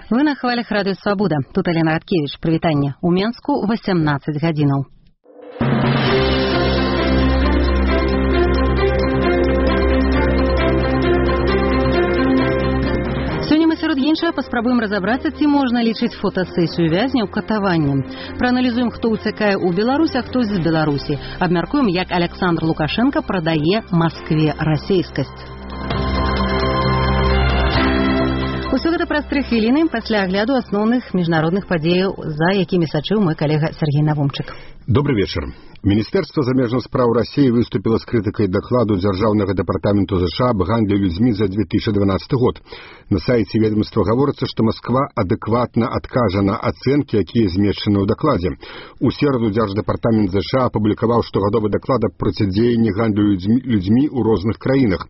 Вы на хвалях радыё Свабода. Тут Алена Радкевич. Прывітанне. У Менску 18 гадзінаў. Сёння мы сярод іншага паспрабуем разабрацца, ці можна лічыць фотасесію вязняў катаваннем. Прааналізуем, хто ўцякае ў Беларусь, а хто з Беларусі. Абмяркуем, як Александр Лукашенко прадае Маскве расейскасць. Усё гэта праз 3 хвіліны пасля агляду асноўных міжнародных падзеяў, за якімі сачыў мой калега Сергей Навумчык. Добрый вечер. Министерство замежных справ России выступило с критикой докладу Державного департамента США об гандле людьми за 2012 год. На сайте ведомства говорится, что Москва адекватно откажа на оценки, якія змешчаны ў докладе. У середу Держдепартамент США опубликовал штогадовы доклад о процедзеянні гандлю людьми у розных краінах.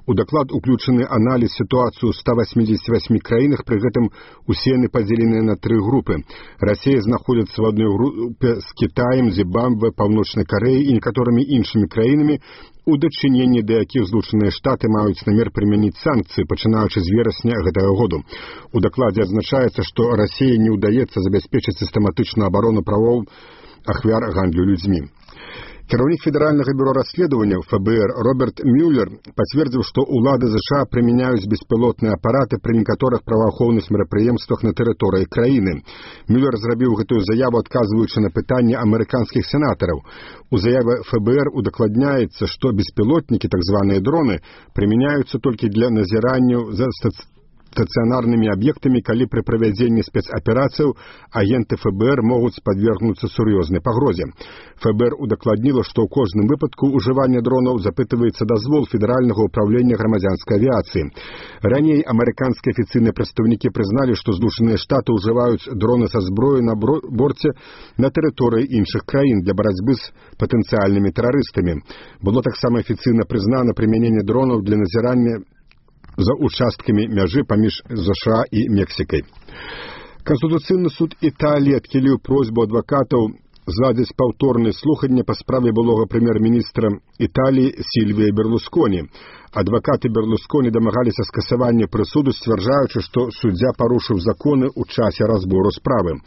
У доклад уключены анализ ситуацию в 188 краінах, при гэтым усе яны подзелены на 3 группы. Россия находится в одной группе с Китаем, Зимбабве, Паўночнай Карэі і некаторымі іншымі краінамі, у дачыненні да якіх Злучаныя Штаты маюць намер прымяніць санкцыі, пачынаючы з верасня гэтага году. У дакладзе адзначаецца, што Расіі не ўдаецца забяспечыць сістэматычную абарону правоў ахвяр гандлю людзьмі. Кіраўнік Федерального бюро расследования ФБР Роберт Мюллер пацвердзіў, што ўлады США прымяняюць беспілотныя апараты пры некаторых праваахоўных мерапрыемствах на тэрыторыі краіны. Мюллер зрабіў гэтую заяву, адказваючы на пытанне амерыканскіх сенатараў. У заяве ФБР удакладняецца, што беспілотнікі, так званыя дроны, прымяняюцца толькі для назіранняў за стационарными объектами, калі при проведении спецопераций агенты ФБР могут подвергнуться серьезной погрозе. ФБР удакладнило, что в кожным выпадку уживания дронов запытывается дозвол Федерального управления громадянской авиации. Ранее американские официальные представники признали, что Злучаныя Штаты уживают дроны со зброей на борте на территории іншых краін для борьбы с потенциальными террористами. Было так само официально признано применение дронов для назирания за участками мяжы паміж США і Мексікай. Конституцыйны суд Італіі адхіліў просьбу адвакатаў зладзіць паўторнае слуханне па справе былога прэм'ер-міністра Італіі Сільвія Берлусконі. Адвакаты Берлусконі дамагаліся скасавання прысуду, сцвярджаючы, што суддзя парушыў законы ў часе разбору справы.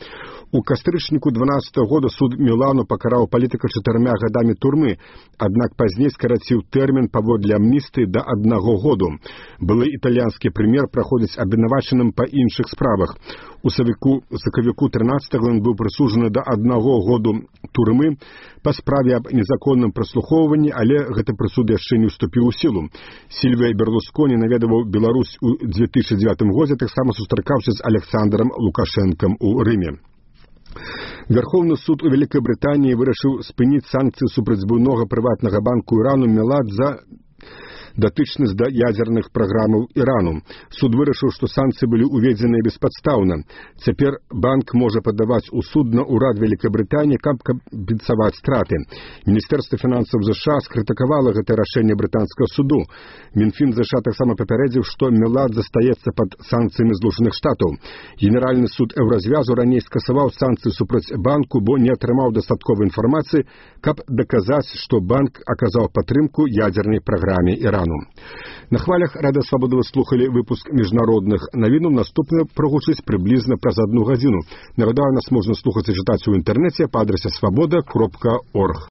У кастрычніку 12 года суд Мілану пакараў палітыка 4 гадамі турмы, аднак пазней скараціў тэрмін паводле амністыі да 1 году. Былы італьянскі прэм'ер праходзіць абвінавачаным па іншых справах. У сакавіку 13-го ён быў прысуджаны да 1 году турмы па справе аб незаконным праслухоўванні, але гэты прысуд яшчэ не ўступіў у сілу. Сільвія Берлусконі наведаваў Беларусь у 2009 годзе, таксама сустракаўся з Александром Лукашенком у Рыме. Верховны суд у Великой Британии вырашыў спыніць санкцыі супраць буйнога прыватнага банку Ірану Мелат за датычнасць да ядзерных праграмаў Ірану. Суд вырашыў, што санкцыі былі ўведзеныя беспадстаўна. Цяпер банк можа падаваць у суд на ўрад Великай Брытаніі, каб кампенсаваць страты. Міністэрства фінансаў США скрытыкавала гэтае рашэнне брытанскага суду. Мінфін США таксама папярэдзіў, што Мелат застаецца пад санкцыямі Злучаных Штатаў. Генеральны суд Еўразвязу раней скасаваў санкцыі супраць банку, бо не атрымаў дастатковай інфармацыі, каб даказаць, што банк аказаў падтрымку ядзернай праграме Ірану. На хвалях Радыё Свабода вы слухали выпуск міжнародных навінаў. Наступны прогучыць прыблізна праз 1 гадзіну. Нагадаю, нас можна слухаць і чытаць у інтэрнэце па адрасе swaboda.org.